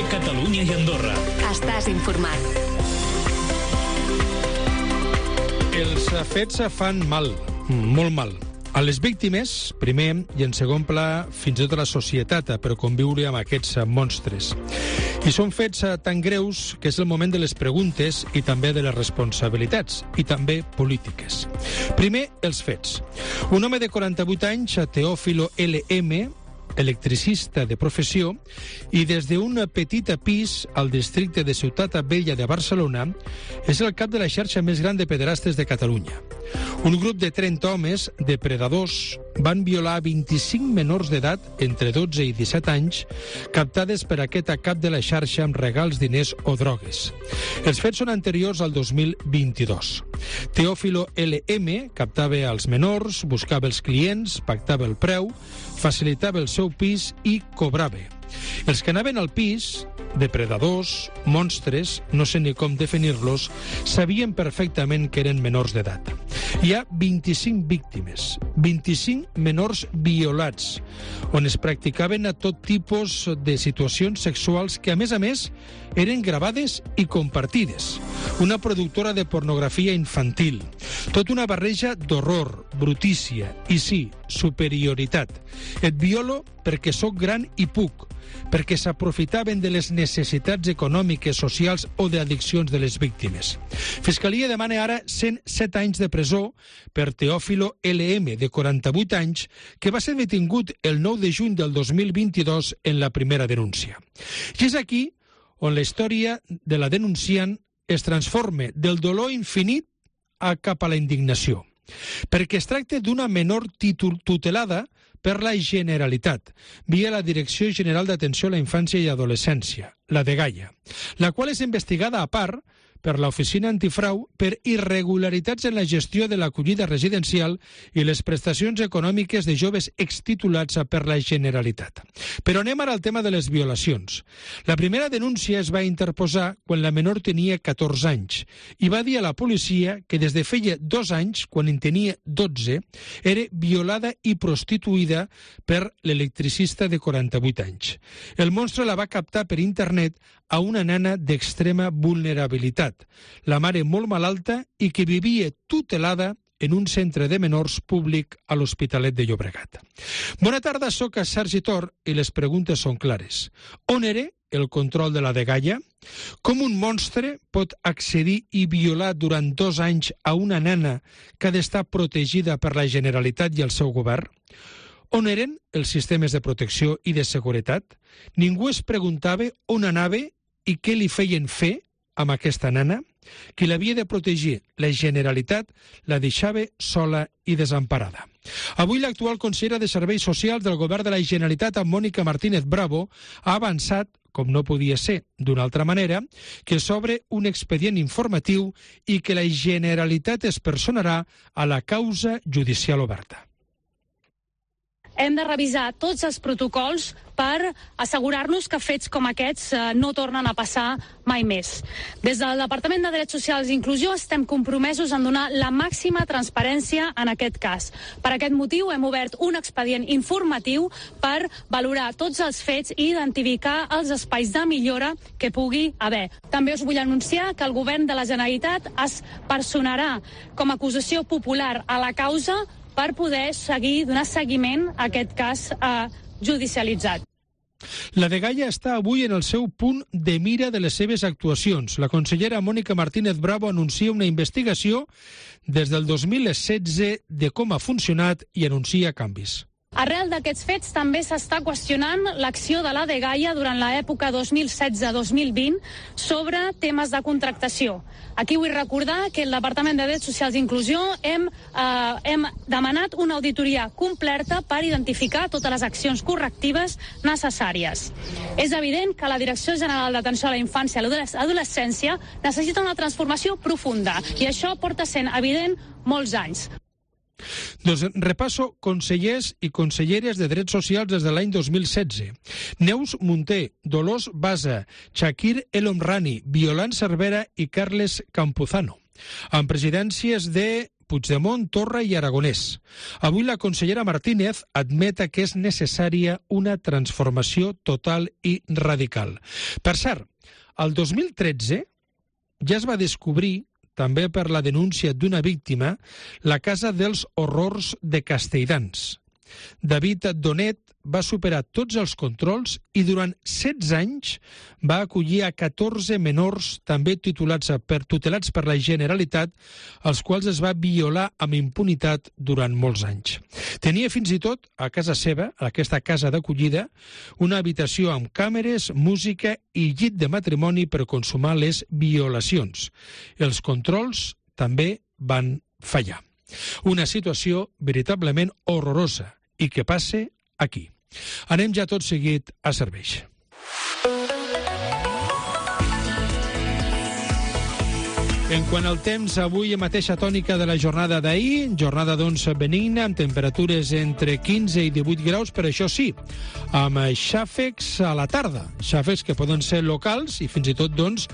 Catalunya i Andorra. Estàs informat. Els fets fan mal, molt mal. A les víctimes, primer, i en segon pla, fins i tot a la societat, per conviure amb aquests monstres. I són fets tan greus que és el moment de les preguntes i també de les responsabilitats, i també polítiques. Primer, els fets. Un home de 48 anys, Teófilo L.M., electricista de professió, i des d'un petit pis al districte de Ciutat Vella de Barcelona, és el cap de la xarxa més gran de pederastes de Catalunya. Un grup de 30 homes, depredadors, van violar 25 menors d'edat, entre 12 i 17 anys, captades per aquest cap de la xarxa amb regals, diners o drogues. Els fets són anteriors al 2022. Teófilo L.M. captava els menors, buscava els clients, pactava el preu, facilitava el seu pis i cobrava. Els que anaven al pis, depredadors, monstres, no sé ni com definir-los, sabien perfectament que eren menors d'edat. Hi ha 25 víctimes, 25 menors violats, on es practicaven a tot tipus de situacions sexuals que, a més, eren gravades i compartides. Una productora de pornografia infantil. Tot una barreja d'horror, brutícia i, sí, superioritat. Et violo perquè sóc gran i puc, perquè s'aprofitaven de les necessitats econòmiques, socials o d'addiccions de les víctimes. Fiscalia demana ara 107 anys de presó per Teófilo L.M., de 48 anys, que va ser detingut el 9 de juny del 2022 en la primera denúncia. I és aquí on la història de la denunciant es transforma del dolor infinit cap a la indignació, perquè es tracta d'una menor tutelada per la Generalitat, via la Direcció General d'Atenció a la Infància i Adolescència, la DGAIA, la qual és investigada a part per l'Oficina Antifrau per irregularitats en la gestió de l'acollida residencial i les prestacions econòmiques de joves extitulats per la Generalitat. Però anem ara al tema de les violacions. La primera denúncia es va interposar quan la menor tenia 14 anys i va dir a la policia que des de feia 2 anys, quan en tenia 12, era violada i prostituïda per l'electricista de 48 anys. El monstre la va captar per internet a una nena d'extrema vulnerabilitat, la mare molt malalta i que vivia tutelada en un centre de menors públic a l'Hospitalet de Llobregat. Bona tarda, soc Sergi Tor i les preguntes són clares. On era el control de la DGAIA? Com un monstre pot accedir i violar durant 2 anys a una nena que ha d'estar protegida per la Generalitat i el seu govern? On eren els sistemes de protecció i de seguretat? Ningú es preguntava on anava i què li feien fer amb aquesta nena? Qui l'havia de protegir, la Generalitat, la deixava sola i desemparada. Avui l'actual consellera de Serveis Socials del Govern de la Generalitat, Mònica Martínez Bravo, ha avançat, com no podia ser d'una altra manera, que s'obre un expedient informatiu i que la Generalitat es personarà a la causa judicial oberta. Hem de revisar tots els protocols per assegurar-nos que fets com aquests no tornen a passar mai més. Des del Departament de Drets Socials i Inclusió estem compromesos en donar la màxima transparència en aquest cas. Per aquest motiu hem obert un expedient informatiu per valorar tots els fets i identificar els espais de millora que pugui haver. També us vull anunciar que el Govern de la Generalitat es personarà com a acusació popular a la causa per poder donar seguiment a aquest cas judicialitzat. La DGAIA està avui en el seu punt de mira de les seves actuacions. La consellera Mònica Martínez Bravo anuncia una investigació des del 2016 de com ha funcionat i anuncia canvis. Arrel d'aquests fets també s'està qüestionant l'acció de la DGAIA durant l'època 2016-2020 sobre temes de contractació. Aquí vull recordar que el Departament de Drets Socials i Inclusió hem demanat una auditoria completa per identificar totes les accions correctives necessàries. És evident que la Direcció General d'Atenció a la Infància i l'Adolescència necessita una transformació profunda i això porta sent evident molts anys. Doncs repasso consellers i conselleres de Drets Socials des de l'any 2016. Neus Munté, Dolors Basa, Chakir El Omrani, Violant Cervera i Carles Campuzano. amb presidències de Puigdemont, Torra i Aragonès. Avui la consellera Martínez admet que és necessària una transformació total i radical. Per cert, el 2013 ja es va descobrir, també per la denúncia d'una víctima, la Casa dels Horrors de Castelldans. David Donet va superar tots els controls i durant 16 anys va acollir a 14 menors, també tutelats per la Generalitat, als quals es va violar amb impunitat durant molts anys. Tenia fins i tot a casa seva, a aquesta casa d'acollida, una habitació amb càmeres, música i llit de matrimoni per consumar les violacions. Els controls també van fallar. Una situació veritablement horrorosa i que passe aquí. Anem ja tot seguit a Cerveix. En quant al temps, avui mateixa tònica de la jornada d'ahir, jornada doncs benigna, amb temperatures entre 15 i 18 graus, però això sí, amb xàfecs a la tarda, xàfecs que poden ser locals i fins i tot doncs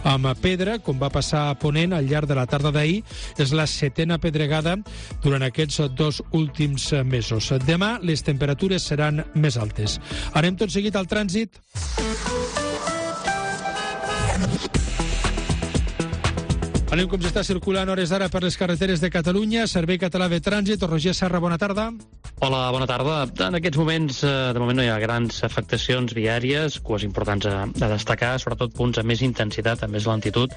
amb pedra, com va passar a Ponent al llarg de la tarda d'ahir, és la 7a pedregada durant aquests 2 últims mesos. Demà les temperatures seran més altes. Anem tot seguit al trànsit. Anem com s'està circulant hores d'ara per les carreteres de Catalunya. Servei Català de Trànsit. Roger Serra, bona tarda. Hola, bona tarda. En aquests moments, de moment no hi ha grans afectacions viàries, cues importants a destacar, sobretot punts amb més intensitat, amb més lentitud,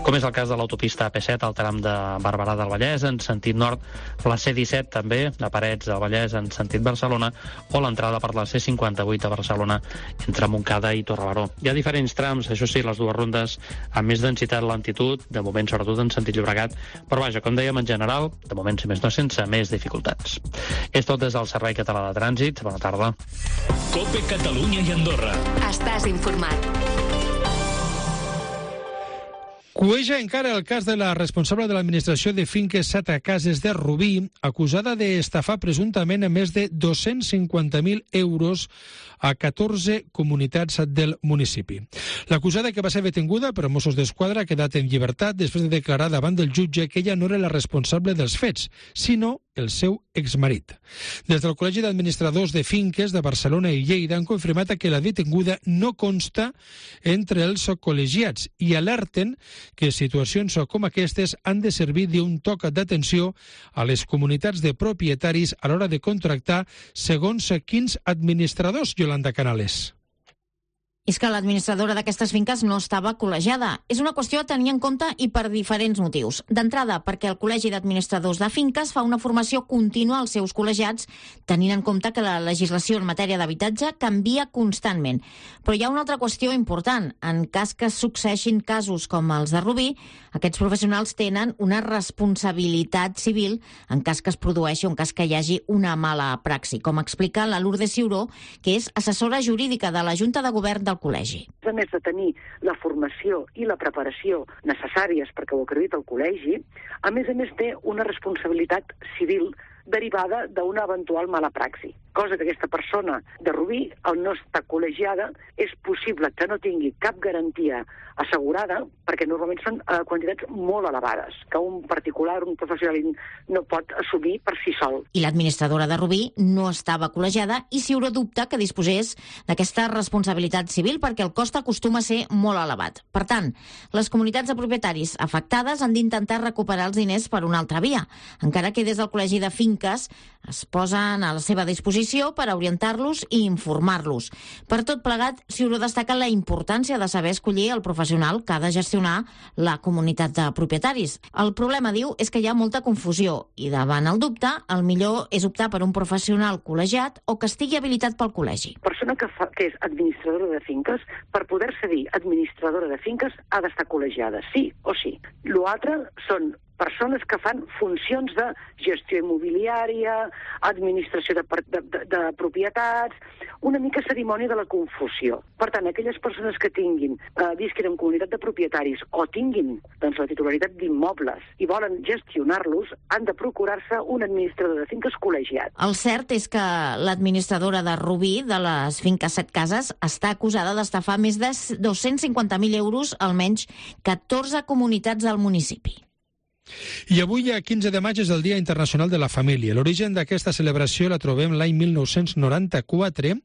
com és el cas de l'autopista AP7 al tram de Barberà del Vallès, en sentit nord, la C-17 també, a Parets del Vallès, en sentit Barcelona, o l'entrada per la C-58 a Barcelona, entre Montcada i Torrebaró. Hi ha diferents trams, això sí, les dues rondes amb més densitat, lentitud, de moment sobretot en sentit Llobregat, però vaja, com dèiem en general, de moment si més no sense més dificultats. És tot des del Servei Català de Trànsit. Bona tarda. COPE Catalunya i Andorra. Estàs informat. Cueja encara el cas de la responsable de l'administració de finques Sata Cases de Rubí, acusada d'estafar presumptament a més de 250.000 euros a 14 comunitats del municipi. L'acusada, que va ser detinguda per Mossos d'Esquadra, ha quedat en llibertat després de declarar davant del jutge que ella no era la responsable dels fets, sinó el seu exmarit. Des del Col·legi d'Administradors de Finques de Barcelona i Lleida han confirmat que la detinguda no consta entre els col·legiats i alerten que situacions com aquestes han de servir d'un toc d'atenció a les comunitats de propietaris a l'hora de contractar segons quins administradors, Yolanda Canales. És que l'administradora d'aquestes finques no estava col·legiada. És una qüestió a tenir en compte i per diferents motius. D'entrada, perquè el Col·legi d'Administradors de Finques fa una formació contínua als seus col·legiats, tenint en compte que la legislació en matèria d'habitatge canvia constantment. Però hi ha una altra qüestió important. En cas que succeeixin casos com els de Rubí, aquests professionals tenen una responsabilitat civil en cas que es produeixi o en cas que hi hagi una mala praxi, com explica la Lourdes Ciuró, que és assessora jurídica de la Junta de Govern del Col·legi. A més de tenir la formació i la preparació necessàries perquè ho acredita el col·legi, a més té una responsabilitat civil derivada d'una eventual mala praxi. Cosa que aquesta persona de Rubí, al no estar col·legiada, és possible que no tingui cap garantia assegurada, perquè normalment són quantitats molt elevades, que un particular, un professional, no pot assumir per si sol. I l'administradora de Rubí no estava col·legiada i Ciuró dubta que disposés d'aquesta responsabilitat civil perquè el cost acostuma a ser molt elevat. Per tant, les comunitats de propietaris afectades han d'intentar recuperar els diners per una altra via, encara que des del Col·legi de Finques es posen a la seva disposició per orientar-los i informar-los. Per tot plegat, Ciuró destaca la importància de saber escollir el professional que ha de gestionar la comunitat de propietaris. El problema, diu, és que hi ha molta confusió i davant el dubte, el millor és optar per un professional col·legiat o que estigui habilitat pel col·legi. Persona que és administradora de finques, per poder-se dir administradora de finques, ha d'estar col·legiada, sí o sí. L'altre són persones que fan funcions de gestió immobiliària, administració de propietats, una mica cerimònia de la confusió. Per tant, aquelles persones que visquin en comunitat de propietaris o tinguin doncs, la titularitat d'immobles i volen gestionar-los, han de procurar-se un administrador de finques col·legiat. El cert és que l'administradora de Rubí, de les finques Set Cases, està acusada d'estafar més de 250.000 euros, almenys 14 comunitats del municipi. I avui, a 15 de maig, és el Dia Internacional de la Família. L'origen d'aquesta celebració la trobem l'any 1994.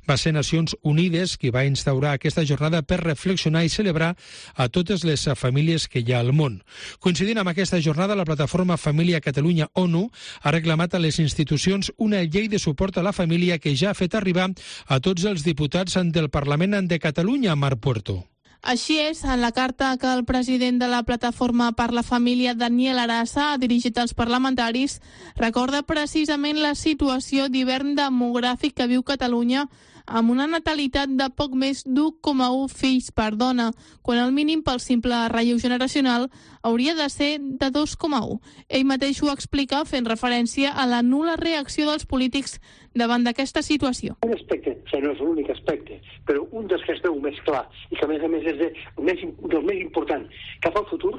Va ser Nacions Unides qui va instaurar aquesta jornada per reflexionar i celebrar a totes les famílies que hi ha al món. Coincidint amb aquesta jornada, la plataforma Família Catalunya ONU ha reclamat a les institucions una llei de suport a la família que ja ha fet arribar a tots els diputats del Parlament de Catalunya, Marc Puerto. Així és, en la carta que el president de la Plataforma per la Família, Daniel Arasa, ha dirigit als parlamentaris, recorda precisament la situació d'hivern demogràfic que viu Catalunya, amb una natalitat de poc més d'1,1 fills per dona, quan el mínim pel simple relleu generacional hauria de ser de 2,1. Ell mateix ho explica fent referència a la nul·la reacció dels polítics davant d'aquesta situació. Un aspecte, no és l'únic aspecte, però un dels que es veu més clar i que a més és del més important cap al futur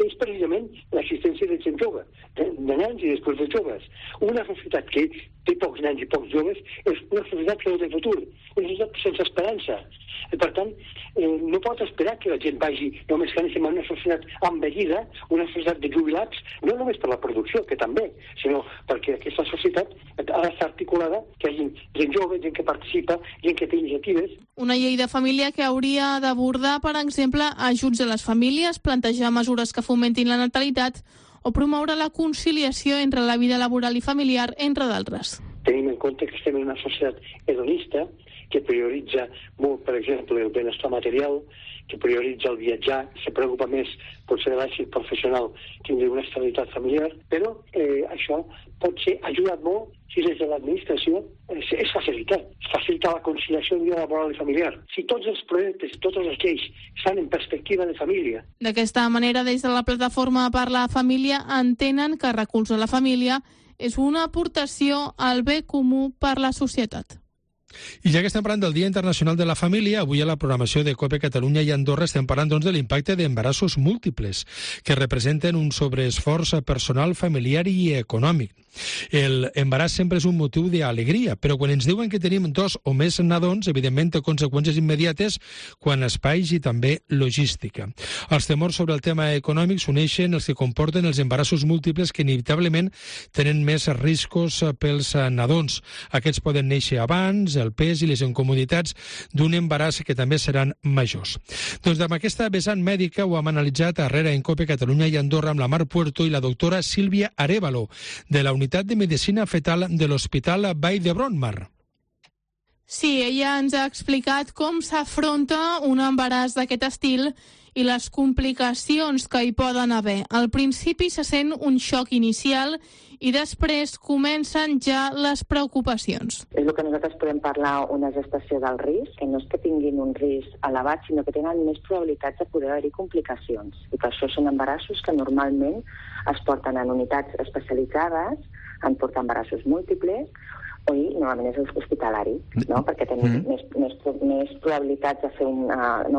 és precisament l'assistència de gent jove, de nens i després de joves. Una societat que té pocs nens i pocs joves és una societat que no té futur, una societat sense esperança. Per tant, no pot esperar que la gent vagi només que anem a una societat envellida, una societat de jubilats, no només per la producció, que també, sinó perquè aquesta societat ha d'estar articulada, que hi hagi gent jove, gent que participa, gent que té iniciatives. Una llei de família que hauria d'abordar, per exemple, ajuts a les famílies, plantejar mesures que fomentin la natalitat o promoure la conciliació entre la vida laboral i familiar, entre d'altres. Tenim en compte que estem en una societat hedonista, que prioritza molt, per exemple, el benestar material, que prioritza el viatjar, se preocupa més potser de l'èxit professional que d'una estabilitat familiar, però això pot ser ajudat molt si des de l'administració és facilitar la conciliació de vida laboral i familiar. Si tots els projectes, totes les lleis estan en perspectiva de família. D'aquesta manera, des de la Plataforma per la Família entenen que recolzar la família és una aportació al bé comú per la societat. I ja que estem parlant del Dia Internacional de la Família, avui a la programació de COPE Catalunya i Andorra estem parlant de l'impacte d'embarassos múltiples, que representen un sobreesforç personal, familiar i econòmic. El embaràs sempre és un motiu d'alegria, però quan ens diuen que tenim 2 o més nadons, evidentment té conseqüències immediates quant a espais i també logística. Els temors sobre el tema econòmic s'uneixen els que comporten els embarassos múltiples, que inevitablement tenen més riscos pels nadons. Aquests poden néixer abans, el pes i les incomoditats d'un embaràs que també seran majors. Doncs amb aquesta vessant mèdica ho hem analitzat arrere en COPE Catalunya i Andorra amb la Marc Puerto i la doctora Sílvia Arévalo, de la Unitat de Medicina Fetal de l'Hospital Vall d'Hebron, Mar. Sí, ella ens ha explicat com s'afronta un embaràs d'aquest estil i les complicacions que hi poden haver. Al principi se sent un xoc inicial i després comencen ja les preocupacions. És el que nosaltres podem parlar una gestació del risc, que no és que tinguin un risc elevat, sinó que tenen més probabilitats de poder haver-hi complicacions. I per això són embarassos que normalment es porten en unitats especialitzades, en portar embarassos múltiples, o normalment és hospitalari, no? Perquè tenim més probabilitats de fer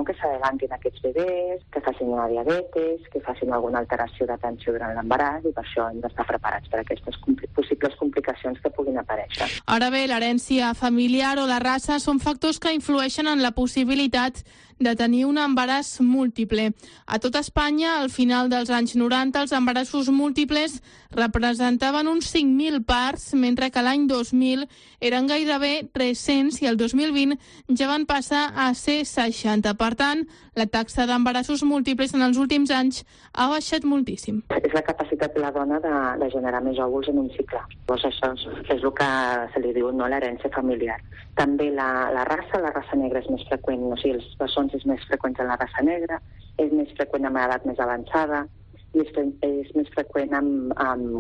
que s'adelantin aquests bebès, que facin una diabetes, que facin alguna alteració d'atenció durant l'embaràs, i per això hem d'estar preparats per aquestes possibles complicacions que puguin aparèixer. Ara bé, l'herència familiar o la raça són factors que influeixen en la possibilitat de tenir un embaràs múltiple. A tot Espanya, al final dels anys 90, els embarassos múltiples representaven uns 5.000 parts, mentre que l'any 2000 eren gairebé 300 i el 2020 ja van passar a ser 60. Per tant, la taxa d'embarassos múltiples en els últims anys ha baixat moltíssim. És la capacitat de la dona de generar més òvuls en un cicle. Doncs això és el que se li diu l'herència familiar. També la raça negra és més freqüent, o sigui, els bessons és més freqüent en la raça negra, és més freqüent amb edat més avançada, i és més freqüent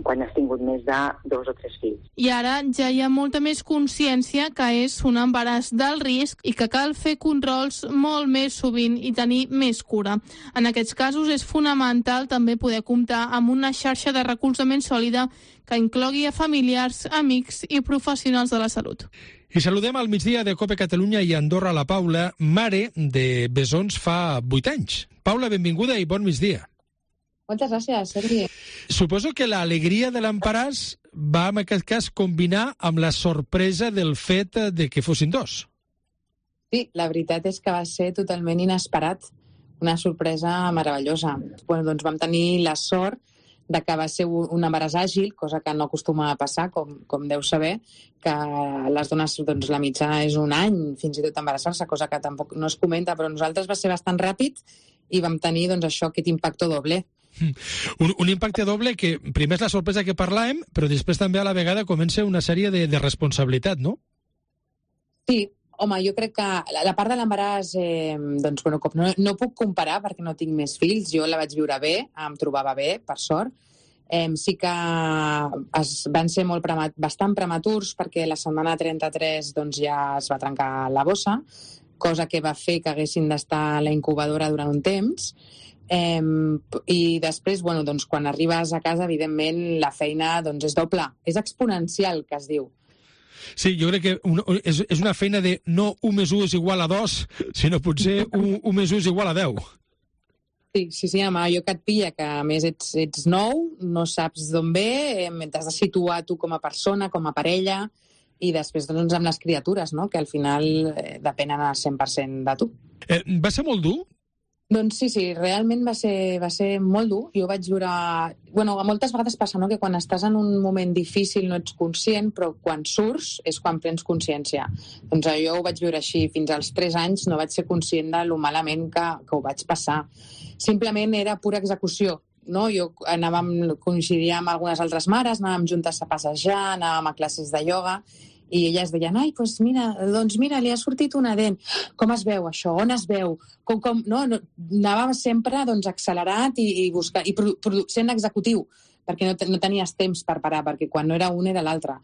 quan has tingut més de 2 o 3 fills. I ara ja hi ha molta més consciència que és un embaràs d'alt risc i que cal fer controls molt més sovint i tenir més cura. En aquests casos és fonamental també poder comptar amb una xarxa de recolzament sòlida que inclogui a familiars, amics i professionals de la salut. I saludem al migdia de COPE Catalunya i Andorra la Paula, mare de bessons fa 8 anys. Paula, benvinguda i bon migdia. Moltes gràcies, Sergi. Suposo que l'alegria de l'embaràs va, en aquest cas, combinar amb la sorpresa del fet de que fossin 2. Sí, la veritat és que va ser totalment inesperat. Una sorpresa meravellosa. Bueno, doncs vam tenir la sort de que va ser un embaràs àgil, cosa que no acostuma a passar, com deu saber, que les dones, doncs, la mitjana és un any, fins i tot embarassar-se, cosa que tampoc no es comenta, però nosaltres va ser bastant ràpid i vam tenir, doncs, això, aquest impacte doble. Un impacte doble que primer és la sorpresa que parlàvem, però després també a la vegada comença una sèrie de responsabilitat, no? Sí, home, jo crec que la part de l'embaràs, doncs, bueno, com no puc comparar perquè no tinc més fills, jo la vaig viure bé, em trobava bé, per sort. Sí que van ser bastant prematurs perquè la setmana 33 doncs, ja es va trencar la bossa, cosa que va fer que haguessin d'estar a la incubadora durant un temps. I després, bueno, doncs, quan arribes a casa, evidentment, la feina doncs, és doble, és exponencial, que es diu. Sí, jo crec que és una feina de no 1 més 1 és igual a 2, sinó potser 1 més 1 és igual a 10. Sí, home, allò que et pilla, que a més ets nou, no saps d'on ve, t'has de situar tu com a persona, com a parella, i després doncs, amb les criatures, no? Que al final depenen al 100% de tu. Va ser molt dur? Doncs sí, realment va ser molt dur. Jo vaig viure... Bueno, moltes vegades passa, no?, que quan estàs en un moment difícil no ets conscient, però quan surts és quan prens consciència. Doncs jo ho vaig viure així. Fins als 3 anys no vaig ser conscient de lo malament que ho vaig passar. Simplement era pura execució, no? Jo coincidia amb algunes altres mares, anàvem juntes a passejar, anàvem a classes de ioga, i elles deien, ai, doncs mira, li ha sortit una dent. Com es veu això? On es veu? No, anàvem sempre doncs, accelerat i buscar, i sent executiu, perquè no tenies temps per parar, perquè quan no era un era l'altre.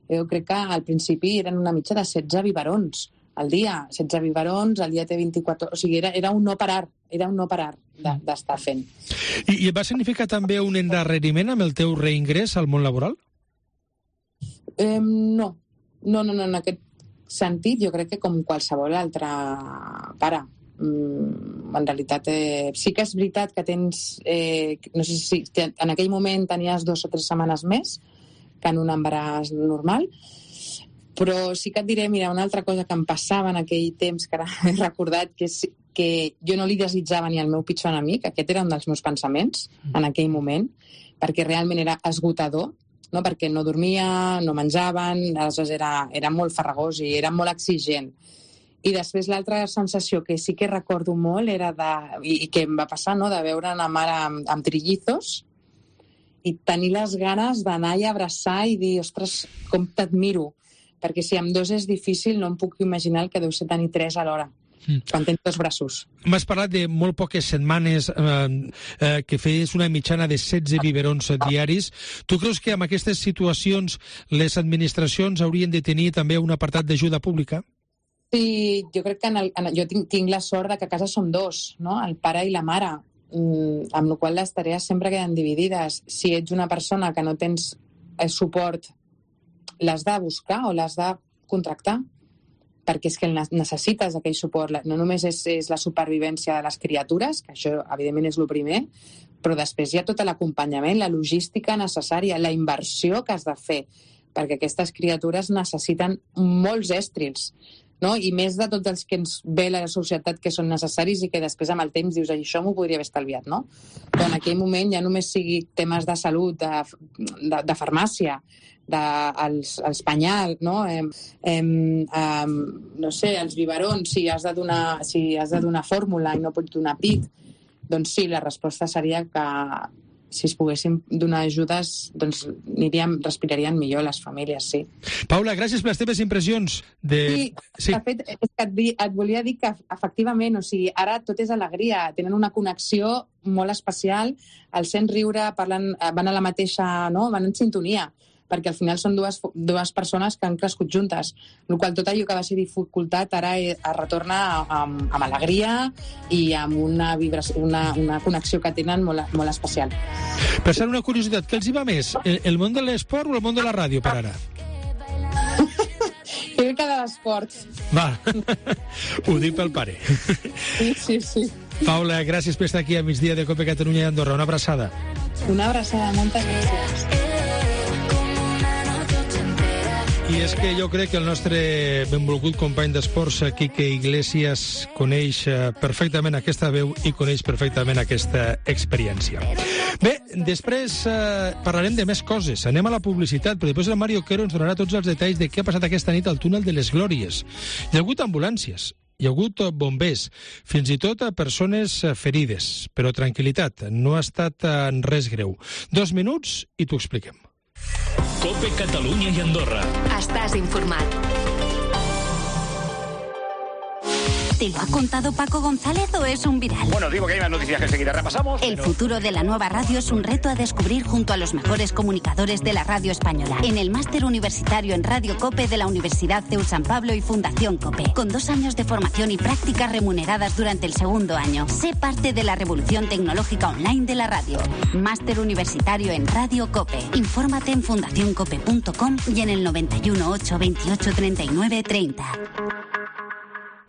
Jo crec que al principi eren una mitja de 16 biberons al dia. 16 biberons, al dia té 24... O sigui, era un no parar, d'estar fent. I va significar també un endarreriment amb el teu reingrés al món laboral? No, en aquest sentit jo crec que com qualsevol altre pare. En realitat sí que és veritat que tens no sé si en aquell moment tenies 2 o 3 setmanes més que en un embaràs normal, però sí que et diré, mira, una altra cosa que em passava en aquell temps, que ara he recordat, que jo no li desitjava ni al meu pitjor enemic. Aquest era un dels meus pensaments en aquell moment, perquè realment era esgotador, no? Perquè no dormia, no menjaven, aleshores era molt farragós i era molt exigent. I després l'altra sensació que sí que recordo molt era i que em va passar, no?, de veure una mare amb trillizos i tenir les ganes d'anar i abraçar i dir, ostres, com t'admiro, perquè si amb 2 és difícil no em puc imaginar el que deu ser tenir 3 alhora. Quan tens 2 braços. M'has parlat de molt poques setmanes que feies una mitjana de 16 biberons diaris. Tu creus que en aquestes situacions les administracions haurien de tenir també un apartat d'ajuda pública? Sí, jo crec que jo tinc la sort de que a casa som 2, no?, el pare i la mare, amb la qual les tarees sempre queden dividides. Si ets una persona que no tens suport, l'has de buscar o l'has de contractar, perquè és que necessites aquell suport. No només és la supervivència de les criatures, que això evidentment és el primer, però després hi ha tot l'acompanyament, la logística necessària, la inversió que has de fer, perquè aquestes criatures necessiten molts èstrils, no? I més de tots els que ens ve la societat que són necessaris i que després amb el temps dius, això m'ho podria haver estalviat, no? Però en aquell moment ja només sigui temes de salut, de farmàcia, els penyals, no? No sé, els biberons, si has de donar fórmula i no pots donar pit, doncs sí, la resposta seria que si es poguessin donar ajudes, doncs respirarien millor les famílies, sí. Paula, gràcies per les teves impressions. Sí, de fet, et volia dir que efectivament, o sigui, ara tot és alegria, tenen una connexió molt especial, el sent riure, parlen, van a la mateixa, no?, van en sintonia, perquè al final són dues persones que han crescut juntes, el qual tot allò que va ser dificultat ara es retorna amb alegria i amb una connexió que tenen molt especial. Per ser una curiositat, què els hi va més? El món de l'esport o el món de la ràdio per ara? Jo crec que de l'esport. Va, ho dic pel pare. Sí. Paula, gràcies per estar aquí a migdia de Cope Catalunya i Andorra. Una abraçada. Una abraçada, moltes gràcies. I és que jo crec que el nostre benvolgut company d'esports, Quique Iglesias, coneix perfectament aquesta veu i coneix perfectament aquesta experiència. Bé, després parlarem de més coses. Anem a la publicitat, però després el Mario Quero ens donarà tots els detalls de què ha passat aquesta nit al túnel de les Glòries. Hi ha hagut ambulàncies, hi ha hagut bombers, fins i tot a persones ferides. Però tranquil·litat, no ha estat res greu. 2 minuts i t'ho expliquem. COPE Catalunya i Andorra. Estàs informat. ¿Te lo ha contado Paco González o es un viral? Bueno, digo que hay más noticias que enseguida repasamos. El futuro de la nueva radio es un reto a descubrir junto a los mejores comunicadores de la radio española. En el máster universitario en Radio COPE de la Universidad CEU San Pablo y Fundación COPE. Con 2 años de formación y prácticas remuneradas durante el segundo año. Sé parte de la revolución tecnológica online de la radio. Máster universitario en Radio COPE. Infórmate en fundacioncope.com y en el 91 8 28 39 30.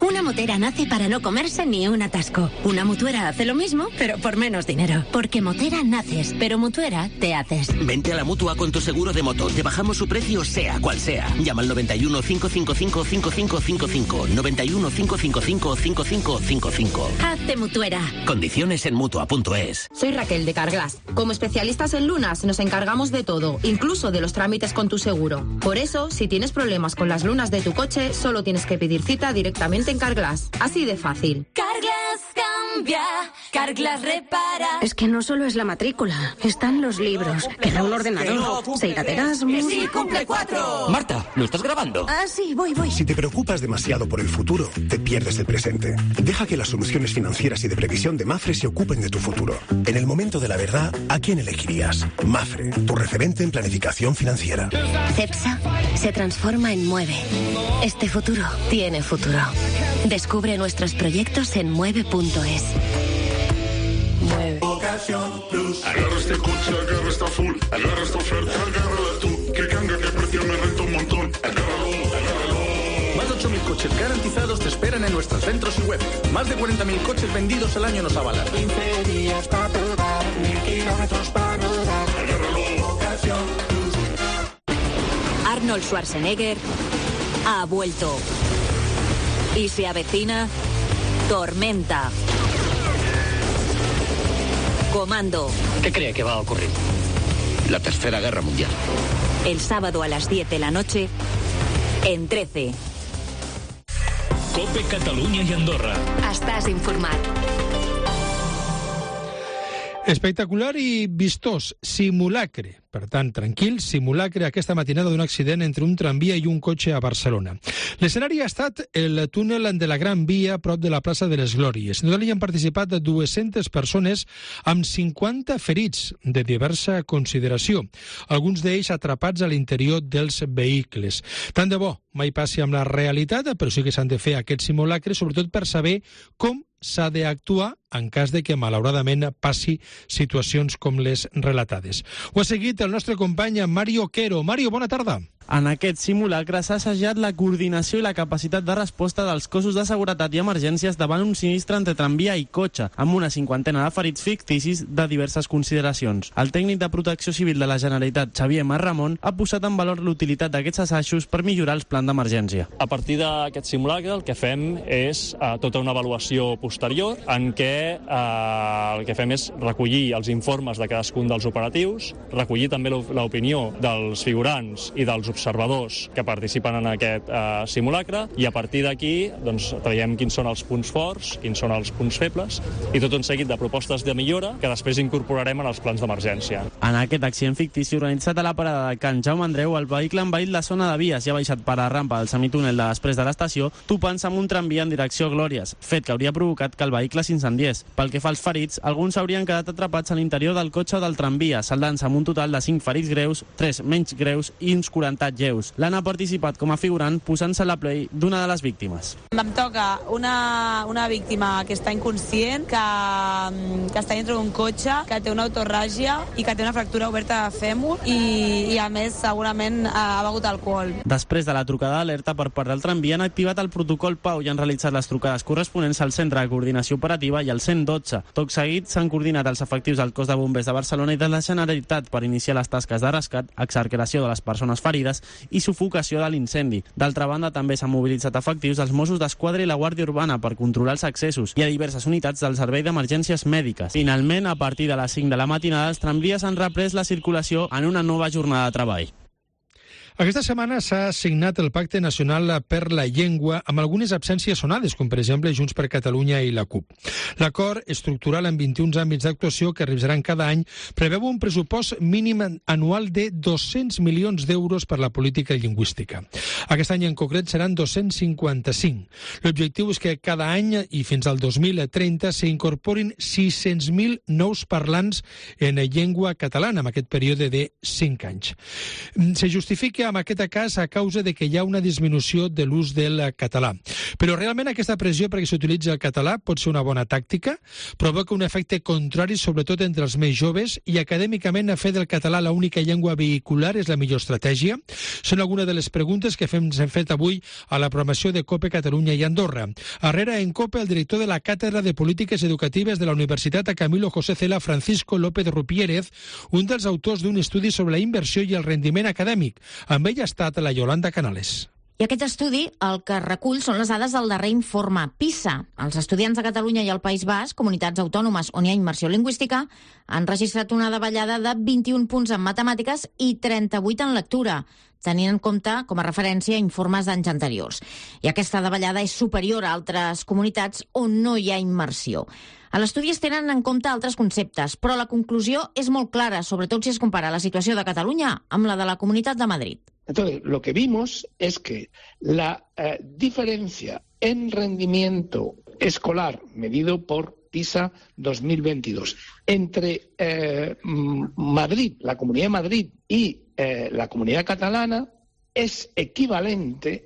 Una motera nace para no comerse ni un atasco. Una mutuera hace lo mismo, pero por menos dinero. Porque motera naces, pero mutuera te haces. Vente a la Mutua con tu seguro de moto. Te bajamos su precio sea cual sea. Llama al 91 555 5555. 91 555 5555. Hazte mutuera. Condiciones en Mutua.es. Soy Raquel de Carglass. Como especialistas en lunas nos encargamos de todo, incluso de los trámites con tu seguro. Por eso, si tienes problemas con las lunas de tu coche, solo tienes que pedir cita directamente en Carglass. Así de fácil. Carglass cambia, Carglass repara. Es que no solo es la matrícula, están los libros, queda un ordenador, se irá de Erasmus. ¡Sí, cumple 4! Marta, ¿lo estás grabando? Ah, sí, voy. Si te preocupas demasiado por el futuro, te pierdes el presente. Deja que las soluciones financieras y de previsión de Mafre se ocupen de tu futuro. En el momento de la verdad, ¿a quién elegirías? Mafre, tu referente en planificación financiera. CEPSA se transforma en Mueve. Este futuro tiene futuro. Descubre nuestros proyectos en mueve.es. Mueve. Ocasión Plus. Agarra este coche, agarra esta full, agarra esta oferta, agárrala tú. Que cambia, que precio me renta un montón. Agárralo. Más de 8.000 coches garantizados te esperan en nuestros centros y web. Más de 40.000 coches vendidos al año nos avalan. 15 días para probar, 1.000 kilómetros para rodar. Agárralo. Ocasión Plus. Arnold Schwarzenegger ha vuelto. Y se avecina Tormenta. Comando. ¿Qué cree que va a ocurrir? La Tercera Guerra Mundial. El sábado a las 10 de la noche en 13. COPE Catalunya i Andorra. Estàs informat. Espectacular i vistós, simulacre. Per tant, tranquil, simulacre aquesta matinada d'un accident entre un tramvia i un cotxe a Barcelona. L'escenari ha estat el túnel de la Gran Via prop de la plaça de les Glòries. En total hi han participat 200 persones amb 50 ferits de diversa consideració, alguns d'ells atrapats a l'interior dels vehicles. Tant de bo mai passi amb la realitat, però sí que s'han de fer aquests simulacres, sobretot per saber com s'ha d'actuar en cas de que, malauradament, passi situacions com les relatades. Ho ha seguit el nostre company Mario Quero. Mario, bona tarda. En aquest simulacre s'ha assajat la coordinació i la capacitat de resposta dels cossos de seguretat i emergències davant un sinistre entre tramvia i cotxe, amb una 50 de ferits ficticis de diverses consideracions. El tècnic de Protecció Civil de la Generalitat, Xavier Marramon, ha posat en valor l'utilitat d'aquests assajos per millorar els plans d'emergència. A partir d'aquest simulacre el que fem és tota una avaluació posterior en què el que fem és recollir els informes de cadascun dels operatius, recollir també l'opinió dels figurants i dels observadors que participen en aquest simulacre, i a partir d'aquí traiem quins són els punts forts, quins són els punts febles, i tot un seguit de propostes de millora que després incorporarem en els plans d'emergència. En aquest accident fictici organitzat a la parada de Can Jaume Andreu, el vehicle ha envaït la zona de vies i ha baixat per la rampa del semitúnel de després de l'estació, topant-se amb un tramvia en direcció a Glòries, fet que hauria provocat que el vehicle s'incendiés. Pel que fa als ferits, alguns haurien quedat atrapats a l'interior del cotxe o del tramvia, saldant-se amb un total de 5 ferits greus, 3 menys greus i uns 40 lleus. L'Anna ha participat com a figurant posant-se a la play d'una de les víctimes. Em toca una víctima que està inconscient, que està dintre d'un cotxe, que té una autorràgia i que té una fractura oberta de fèmur i a més segurament ha begut alcohol. Després de la trucada d'alerta per part del tramvia han activat el protocol Pau i han realitzat les trucades corresponents al Centre de Coordinació Operativa i al 112. Tot seguit s'han coordinat els efectius del Cos de Bombers de Barcelona i de la Generalitat per iniciar les tasques de rescat, excarceració de les persones ferides clavegueres i sufocació de l'incendi. D'altra banda, també s'han mobilitzat efectius dels Mossos d'Esquadra i la Guàrdia Urbana per controlar els accessos i a diverses unitats del Servei d'Emergències Mèdiques. Finalment, a partir de les 5 de la matinada, els tramvies han reprès la circulació en una nova jornada de treball. Aquesta setmana s'ha signat el Pacte Nacional per la Llengua amb algunes absències sonades, com per exemple Junts per Catalunya i la CUP. L'acord estructural en 21 àmbits d'actuació que revisaran cada any preveu un pressupost mínim anual de 200 milions d'euros per la política lingüística. Aquest any en concret seran 255. L'objectiu és que cada any i fins al 2030 s'incorporin 600.000 nous parlants en llengua catalana en aquest període de 5 anys. Se justifica en aquest cas a causa de que hi ha una disminució de l'ús del català. Però realment aquesta pressió perquè s'utilitzi el català pot ser una bona tàctica, provoca un efecte contrari sobretot entre els més joves i acadèmicament fer del català l'única llengua vehicular és la millor estratègia? Són algunes de les preguntes que hem fet avui a la programació de COPE Catalunya i Andorra. Arrere en COPE el director de la Càtedra de Polítiques Educatives de la Universitat Camilo José Cela, Francisco López Rupiérez, un dels autors d'un estudi sobre la inversió i el rendiment acadèmic. Amb ell ha estat la Yolanda Canales. I aquest estudi el que recull són les dades del darrer informe PISA. Els estudiants de Catalunya i el País Basc, comunitats autònomes on hi ha immersió lingüística, han registrat una davallada de 21 punts en matemàtiques i 38 en lectura, tenint en compte com a referència informes d'anys anteriors. I aquesta davallada és superior a altres comunitats on no hi ha immersió. A l'estudi es tenen en compte altres conceptes, però la conclusió és molt clara, sobretot si es compara la situació de Catalunya amb la de la Comunitat de Madrid. Entonces, lo que vimos es que la diferencia en rendimiento escolar medido por PISA 2022 entre Madrid, la Comunidad de Madrid y la Comunidad Catalana es equivalente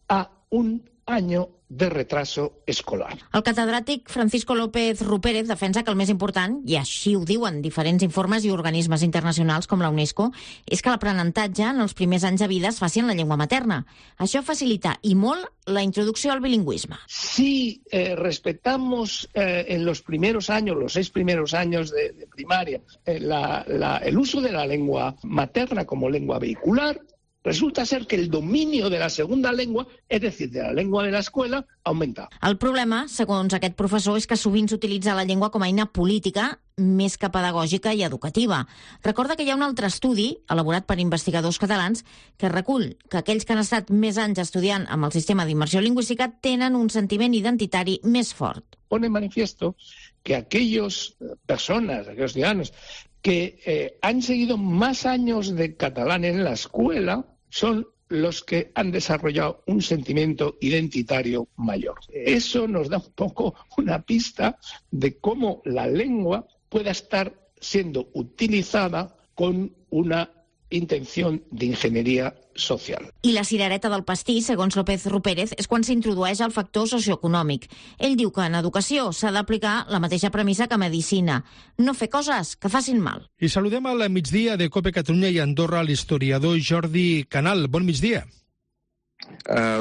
a un año de retraso escolar. El catedràtic Francisco López Rupérez defensa que el més important, i així ho diuen diferents informes i organismes internacionals com la UNESCO, és que l'aprenentatge en els primers anys de vida es faci en la llengua materna. Això facilita i molt la introducció al bilingüisme. Si respetamos en los primeros años, los 6 primeros años de primaria, el uso de la lengua materna como lengua vehicular, resulta ser que el dominio de la segunda lengua, es decir, de la lengua de la escuela, aumenta. El problema, segons aquest professor, és que sovint s'utilitza la llengua com a eina política més que pedagògica i educativa. Recorda que hi ha un altre estudi, elaborat per investigadors catalans, que recull que aquells que han estat més anys estudiant amb el sistema d'immersió lingüística tenen un sentiment identitari més fort. Pone en manifiesto que aquellos ciudadanos que han seguido más años de catalán en la escuela son los que han desarrollado un sentimiento identitario mayor. Eso nos da un poco una pista de cómo la lengua pueda estar siendo utilizada con una intención de ingeniería social. I la cirereta del pastís, segons López Rupérez, és quan s'introdueix el factor socioeconòmic. Ell diu que en educació s'ha d'aplicar la mateixa premissa que a medicina. No fer coses que facin mal. I saludem al migdia de COPE Catalunya i Andorra l'historiador Jordi Canal. Bon migdia.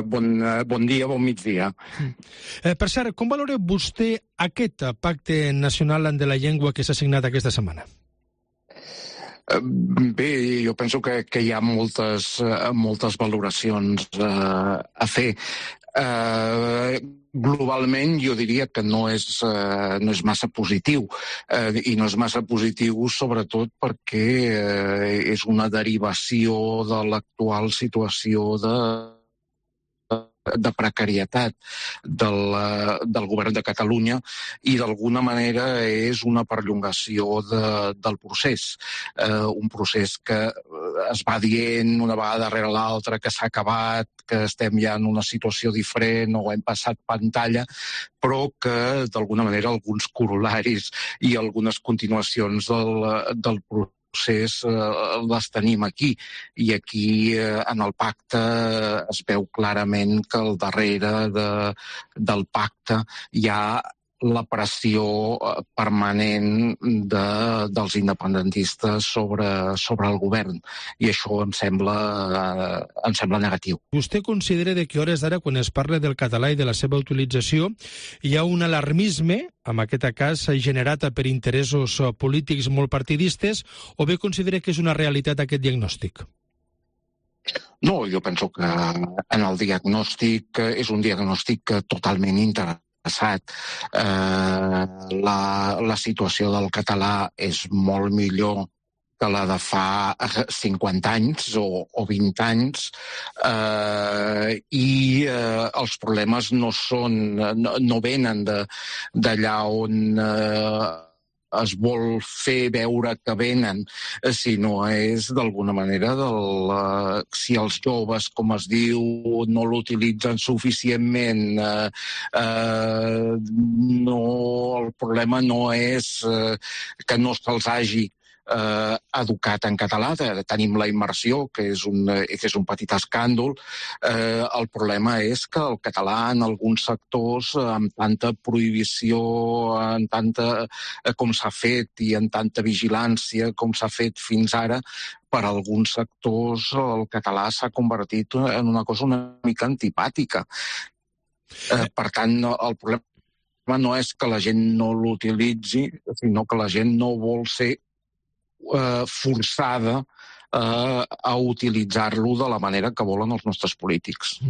Bon dia, bon migdia. Per cert, com valora vostè aquest pacte nacional de la llengua que s'ha signat aquesta setmana? Bé, jo penso que hi ha moltes valoracions a fer. Globalment jo diria que no és massa positiu i no és massa positiu sobretot perquè és una derivació de l'actual situació de precarietat del govern de Catalunya i d'alguna manera és una perllongació del procés. Un procés que es va dient una vegada darrere l'altra que s'ha acabat, que estem ja en una situació diferent o hem passat pantalla, però que d'alguna manera alguns corolaris i algunes continuacions del procés les tenim aquí. I aquí en el pacte es veu clarament que al darrere del pacte hi ha la pressió permanent dels independentistes sobre el govern. I això em sembla negatiu. Vostè considera que a hores d'ara, quan es parla del català i de la seva utilització, hi ha un alarmisme, en aquest cas generat per interessos polítics molt partidistes, o bé considera que és una realitat aquest diagnòstic? No, jo penso que en el diagnòstic és un diagnòstic totalment interessat. La situació del català és molt millor que la de fa 50 anys o 20 anys, i els problemes no venen d'allà on es vol fer veure que venen, sinó és d'alguna manera si els joves, com es diu, no l'utilitzen suficientment, el problema no és que no se'ls hagi educat en català, tenim la immersió, que és un petit escàndol. El problema és que el català en alguns sectors, amb tanta prohibició, com s'ha fet i amb tanta vigilància com s'ha fet fins ara, per alguns sectors el català s'ha convertit en una cosa una mica antipàtica. Per tant, el problema no és que la gent no l'utilitzi, sinó que la gent no vol ser forçada a utilitzar-lo de la manera que volen els nostres polítics.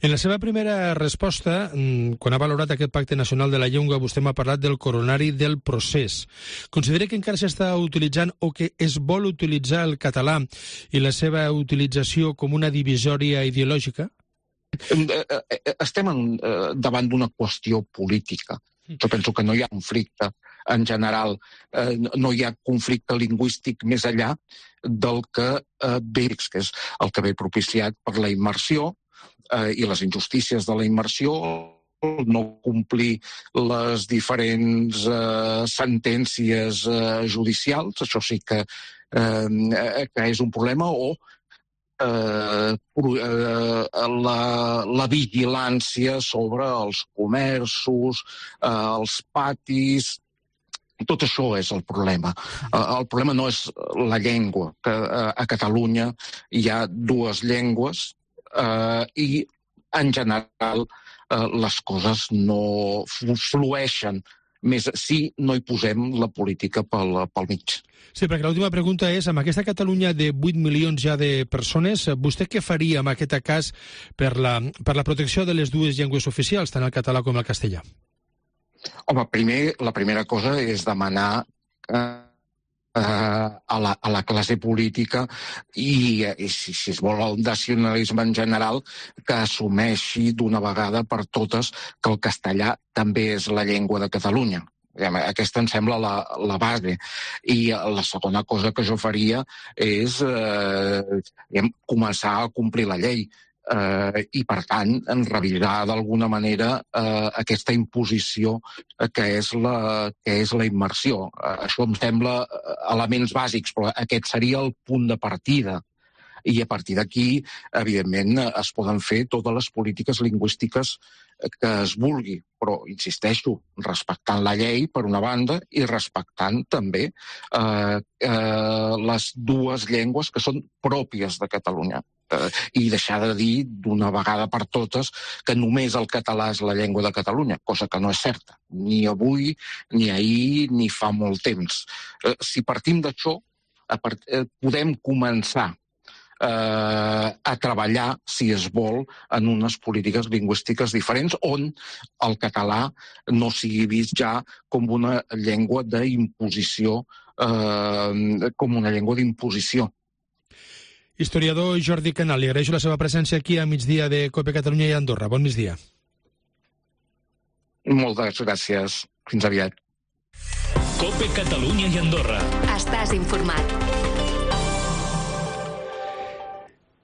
En la seva primera resposta, quan ha valorat aquest Pacte Nacional de la Llengua, vostè m'ha parlat del coronari del procés. Considera que encara s'està utilitzant o que es vol utilitzar el català i la seva utilització com una divisòria ideològica? Estem davant d'una qüestió política. Jo penso que no hi ha conflicte en general, no hi ha conflicte lingüístic més enllà del que ve, que és el que ve propiciat per la immersió i les injustícies de la immersió, no complir les diferents sentències judicials, això sí que és un problema, o la vigilància sobre els comerços, els patis. Tot això és el problema. El problema no és la llengua, que a Catalunya hi ha dues llengües i, en general, les coses no flueixen més si no hi posem la política pel mig. Sí, perquè l'última pregunta és, amb aquesta Catalunya de 8 milions ja de persones, vostè què faria en aquest cas per la protecció de les dues llengües oficials, tant el català com el castellà? Home, la primera cosa és demanar a la classe política i si es vol el nacionalisme en general, que assumeixi d'una vegada per totes que el castellà també és la llengua de Catalunya. Aquesta em sembla la base. I la segona cosa que jo faria és començar a complir la llei. I, per tant, revisar d'alguna manera aquesta imposició que és la immersió. Això em sembla elements bàsics, però aquest seria el punt de partida. I a partir d'aquí, evidentment, es poden fer totes les polítiques lingüístiques que es vulgui, però, insisteixo, respectant la llei, per una banda, i respectant també les dues llengües que són pròpies de Catalunya. I deixar de dir d'una vegada per totes que només el català és la llengua de Catalunya, cosa que no és certa, ni avui, ni ahir, ni fa molt temps. Si partim d'això, podem començar a treballar, si es vol, en unes polítiques lingüístiques diferents on el català no sigui vist ja com una llengua d'imposició, Historiador Jordi Canal, li agraeixo la seva presència aquí a migdia de COPE Catalunya i Andorra. Bon migdia. Moltes gràcies. Fins aviat. COPE Catalunya i Andorra. Estàs informat.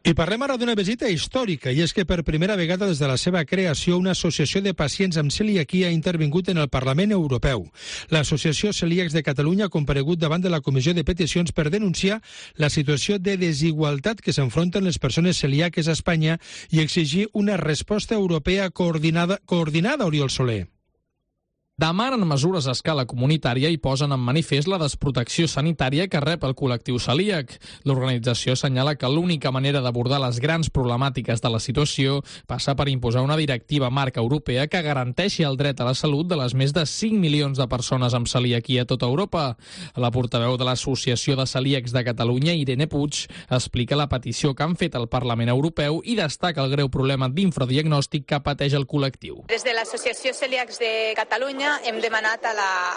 I parlem ara d'una visita històrica, i és que per primera vegada des de la seva creació una associació de pacients amb celiaquia ha intervingut en el Parlament Europeu. L'Associació Celíacs de Catalunya ha comparegut davant de la Comissió de Peticions per denunciar la situació de desigualtat que s'enfronten les persones celíaques a Espanya i exigir una resposta europea coordinada, Oriol Soler. demanen mesures a escala comunitària i posen en manifest la desprotecció sanitària que rep el col·lectiu celíac. L'organització assenyala que l'única manera d'abordar les grans problemàtiques de la situació passa per imposar una directiva marc europea que garanteixi el dret a la salut de les més de 5 milions de persones amb celiaquia a tota Europa. La portaveu de l'Associació de Celíacs de Catalunya, Irene Puig, explica la petició que han fet al Parlament Europeu i destaca el greu problema d'infradiagnòstic que pateix el col·lectiu. Des de l'Associació Celíacs de Catalunya hem demanat a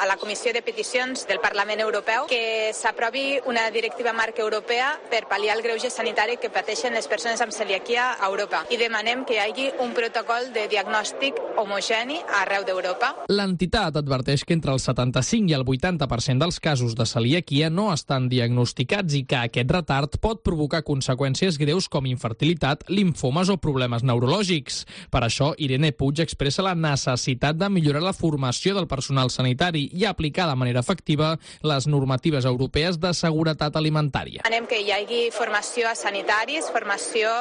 la Comissió de Peticions del Parlament Europeu que s'aprovi una directiva marc europea per pal·liar el greuge sanitari que pateixen les persones amb celiaquia a Europa i demanem que hi hagi un protocol de diagnòstic homogeni arreu d'Europa. L'entitat adverteix que entre el 75 i el 80% dels casos de celiaquia no estan diagnosticats i que aquest retard pot provocar conseqüències greus com infertilitat, limfomes o problemes neurològics. Per això, Irene Puig expressa la necessitat de millorar la formació del personal sanitari i aplicar de manera efectiva les normatives europees de seguretat alimentària. Demanem que hi hagi formació a sanitaris, formació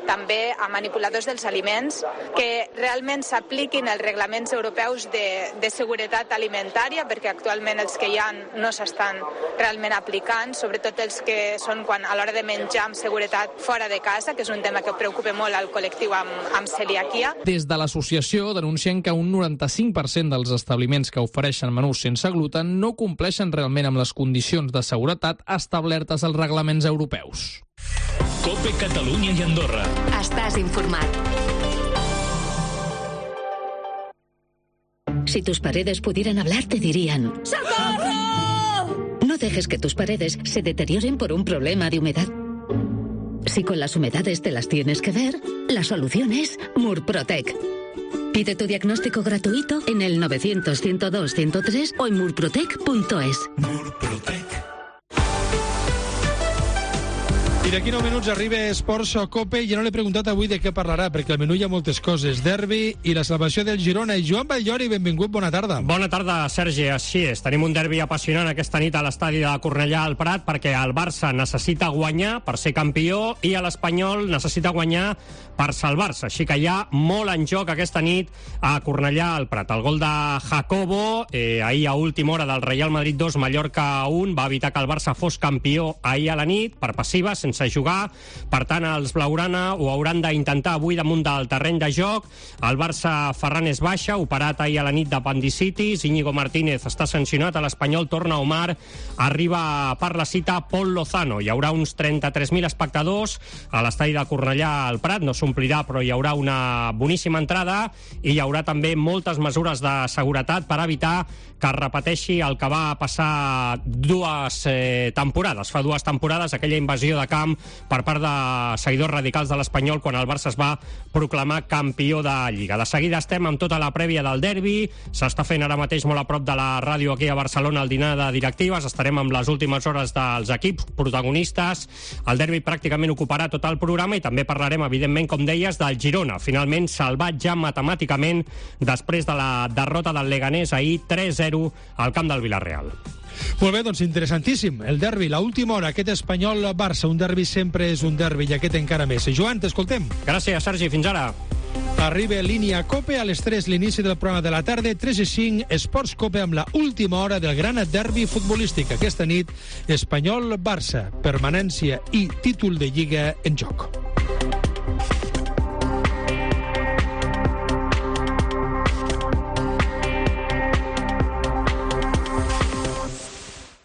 també a manipuladors dels aliments, que realment s'apliquin els reglaments europeus de seguretat alimentària, perquè actualment els que hi ha no s'estan realment aplicant, sobretot els que són quan a l'hora de menjar amb seguretat fora de casa, que és un tema que preocupa molt al col·lectiu amb celiaquia. Des de l'associació denuncien que un 95% dels establiments que ofereixen menús sense gluten no compleixen realment amb les condicions de seguretat establertes als reglaments europeus. COPE Catalunya i Andorra. Estàs informat. Si tus paredes pudieran hablar, te dirían: ¡Socorro! No dejes que tus paredes se deterioren por un problema de humedad. Si con las humedades te las tienes que ver, la solución es Murprotec. Pide tu diagnóstico gratuito en el 900-102-103 o en murprotec.es. Murprotec. I d'aquí 9 minuts arriba Esports Cope i ja no l'he preguntat avui de què parlarà, perquè al menú hi ha moltes coses. Derbi i la salvació del Girona. I Joan Batllori, benvingut, bona tarda. Bona tarda, Sergi. Així és. Tenim un derbi apassionant aquesta nit a l'estadi de Cornellà al Prat, perquè el Barça necessita guanyar per ser campió i l'Espanyol necessita guanyar per salvar-se. Així que hi ha molt en joc aquesta nit a Cornellà al Prat. El gol de Jacobo, ahir a última hora del Real Madrid 2, Mallorca 1, va evitar que el Barça fos campió ahir a la nit, per passiva, sense jugar. Per tant, els blaugrana ho hauran d'intentar avui damunt del terreny de joc. El Barça, Ferran és baixa, operat ahir a la nit d'apendicitis. Íñigo Martínez està sancionat. A l'Espanyol torna Omar. Arriba per la cita Pol Lozano. Hi haurà uns 33.000 espectadors a l'estadi de Cornellà al Prat. No s'omplirà, però hi haurà una boníssima entrada i hi haurà també moltes mesures de seguretat per evitar que es repeteixi el que va passar dues temporades. Fa dues temporades, aquella invasió de camp per part de seguidors radicals de l'Espanyol quan el Barça es va proclamar campió de Lliga. De seguida estem amb tota la prèvia del derbi. S'està fent ara mateix molt a prop de la ràdio aquí a Barcelona el dinar de directives. Estarem amb les últimes hores dels equips protagonistes. El derbi pràcticament ocuparà tot el programa i també parlarem, evidentment, com deies, del Girona. Finalment salvat ja matemàticament després de la derrota del Leganés ahir 3-0 al camp del Villarreal. Molt bé, doncs interessantíssim. El derbi, l'última hora, aquest Espanyol-Barça. Un derbi sempre és un derbi i aquest encara més. Joan, t'escoltem. Gràcies, Sergi. Fins ara. Arriba línia Cope a les 3, l'inici del programa de la tarda, 3:05, Esports Cope amb la última hora del gran derbi futbolístic. Aquesta nit, Espanyol-Barça, permanència i títol de Lliga en joc.